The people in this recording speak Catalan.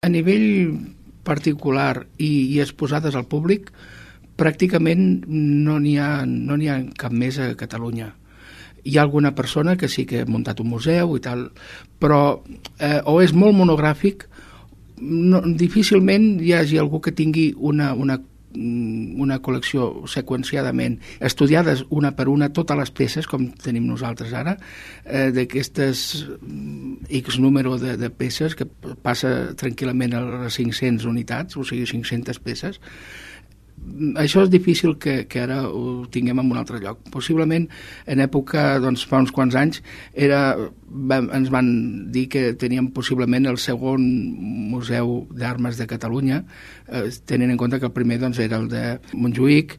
A nivell particular i exposades al públic, pràcticament no n'hi ha cap més a Catalunya. Hi ha alguna persona que sí que ha muntat un museu i tal, però o és molt monogràfic, difícilment hi hagi algú que tingui una col·lecció seqüenciadament, estudiades una per una totes les peces, com tenim nosaltres ara, d'aquestes X número de peces, que passa tranquil·lament a les 500 unitats, o sigui, 500 peces. Això és difícil que ara ho tinguem en un altre lloc. Possiblement, en època, doncs, fa uns quants anys, ens van dir que teníem possiblement el segon museu d'armes de Catalunya, tenint en compte que el primer doncs, era el de Montjuïc,